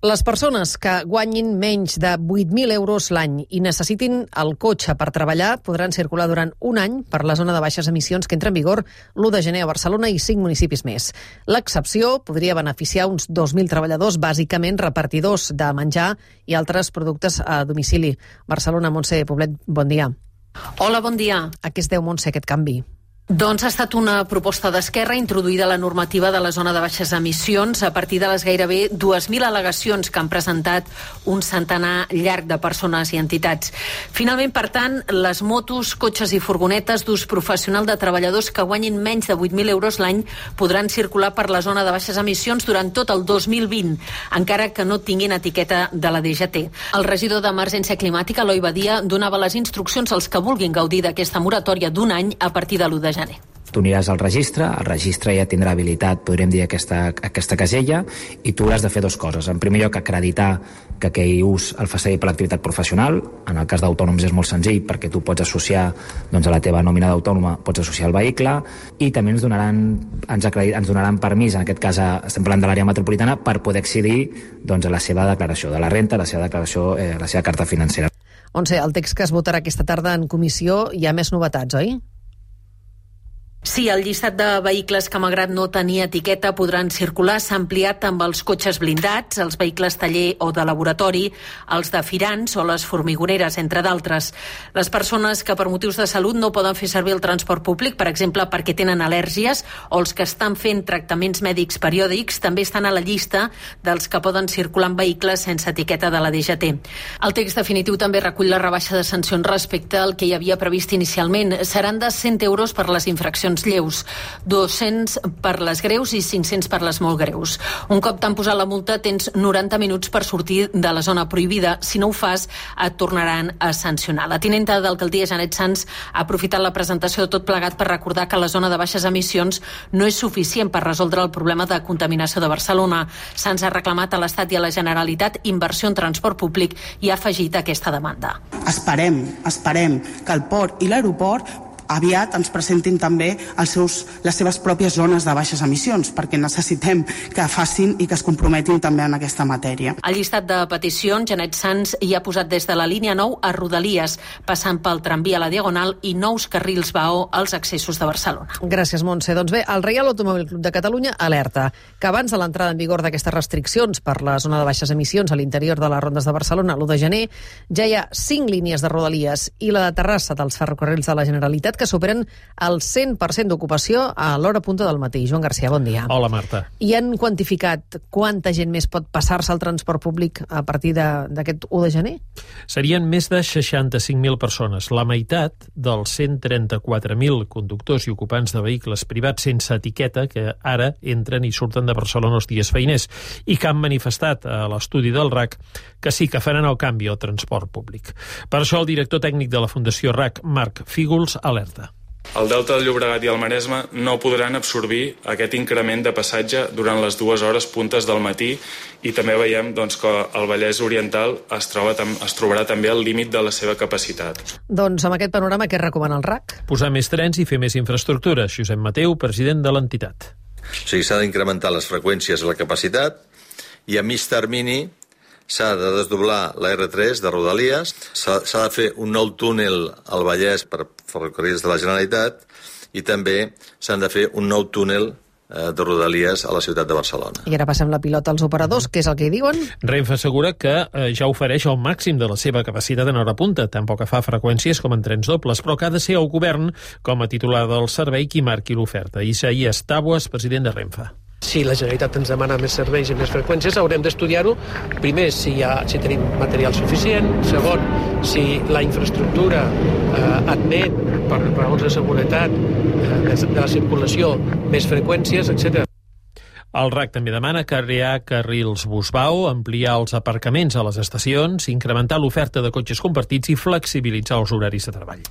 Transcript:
Les persones que guanyin menys de 8.000 euros l'any i necessitin el cotxe per treballar podran circular durant un any per la zona de baixes emissions que entra en vigor l'1 de gener a Barcelona i 5 municipis més. L'excepció podria beneficiar uns 2.000 treballadors, bàsicament repartidors de menjar i altres productes a domicili. Barcelona, Montse Poblet, bon dia. Hola, bon dia. A què es deu, Montse, aquest canvi? Doncs ha estat una proposta d'Esquerra introduïda a la normativa de la zona de baixes emissions a partir de les gairebé 2.000 al·legacions que han presentat un centenar llarg de persones i entitats. Finalment, per tant, les motos, cotxes i furgonetes d'ús professional de treballadors que guanyin menys de 8.000 euros l'any podran circular per la zona de baixes emissions durant tot el 2020, encara que no tinguin etiqueta de la DGT. El regidor d'Emergència Climàtica, Eloi Badia, donava les instruccions als que vulguin gaudir d'aquesta moratòria d'un any a partir de l'1 de gener. Tu aniràs al registre ja tindrà habilitat, podríem dir, aquesta casella, i tu hauràs de fer dues coses. En primer lloc, acreditar que aquell ús el fa servir per l'activitat professional. En el cas d'autònoms és molt senzill, perquè tu pots associar a la teva nòmina d'autònoma, pots associar el vehicle, i també ens donaran permís, en aquest cas estem parlant de l'àrea metropolitana, per poder accedir a la seva declaració de la renta, la seva declaració, la seva carta financera. Montse, el text que es votarà aquesta tarda en comissió hi ha més novetats, oi? Sí, el llistat de vehicles que, malgrat no tenir etiqueta, podran circular s'ha ampliat amb els cotxes blindats, els vehicles taller o de laboratori, els de firants o les formigoneres, entre d'altres. Les persones que per motius de salut no poden fer servir el transport públic, per exemple, perquè tenen al·lèrgies, o els que estan fent tractaments mèdics periòdics, també estan a la llista dels que poden circular en vehicles sense etiqueta de la DGT. El text definitiu també recull la rebaixa de sancions respecte al que hi havia previst inicialment. Seran de 100 euros per les infraccions lleus, 200 per les greus i 500 per les molt greus. Un cop t'han posat la multa, tens 90 minuts per sortir de la zona prohibida. Si no ho fas, et tornaran a sancionar. La tinenta d'alcaldia, Janet Sans, ha aprofitat la presentació de tot plegat per recordar que la zona de baixes emissions no és suficient per resoldre el problema de contaminació de Barcelona. Sans ha reclamat a l'Estat i a la Generalitat inversió en transport públic i ha afegit aquesta demanda. Esperem que el port i l'aeroport aviat ens presentin també les seves pròpies zones de baixes emissions, perquè necessitem que facin i que es comprometin també en aquesta matèria. Al llistat de peticions, Janet Sans hi ha posat des de la línia 9 a Rodalies, passant pel tramvia a la Diagonal i nous carrils BAO als accessos de Barcelona. Gràcies, Montse. Doncs bé, el Reial Automòbil Club de Catalunya alerta que abans de l'entrada en vigor d'aquestes restriccions per la zona de baixes emissions a l'interior de les rondes de Barcelona l'1 de gener, ja hi ha 5 línies de Rodalies i la de Terrassa dels ferrocarrils de la Generalitat que superen el 100% d'ocupació a l'hora punta del matí. Joan Garcia, bon dia. Hola, Marta. I han quantificat quanta gent més pot passar-se al transport públic a partir d'aquest 1 de gener? Serien més de 65.000 persones, la meitat dels 134.000 conductors i ocupants de vehicles privats sense etiqueta que ara entren i surten de Barcelona els dies feiners i que han manifestat a l'estudi del RAC que sí que faran el canvi al transport públic. Per això el director tècnic de la Fundació RAC, Marc Fígols, alerta. El Delta del Llobregat i el Maresme no podran absorbir aquest increment de passatge durant les 2 hores puntes del matí i també veiem que el Vallès Oriental es trobarà també al límit de la seva capacitat. Doncs amb aquest panorama, què recomana el RAC? Posar més trens i fer més infraestructures. Josep Mateu, president de l'entitat. O sigui, s'ha d'incrementar les freqüències i la capacitat i a mig termini s'ha de desdoblar la R3 de Rodalies, s'ha de fer un nou túnel al Vallès per ferrocarrils de la Generalitat i també s'han de fer un nou túnel de Rodalies a la ciutat de Barcelona. I ara passem la pilota als operadors, què és el que diuen? Renfe assegura que ja ofereix el màxim de la seva capacitat en hora punta, tant pel que fa a freqüències com en trens dobles, però que ha de ser el govern, com a titular del servei, qui marqui l'oferta. Isaías Tabuas, president de Renfe. Si la Generalitat ens demana més serveis i més freqüències, haurem d'estudiar-ho. Primer, si tenim material suficient. Segon, si la infraestructura admet, per raons de seguretat, de la circulació, més freqüències, etc. El RAC també demana crear carrils bus-BAO, ampliar els aparcaments a les estacions, incrementar l'oferta de cotxes compartits i flexibilitzar els horaris de treball.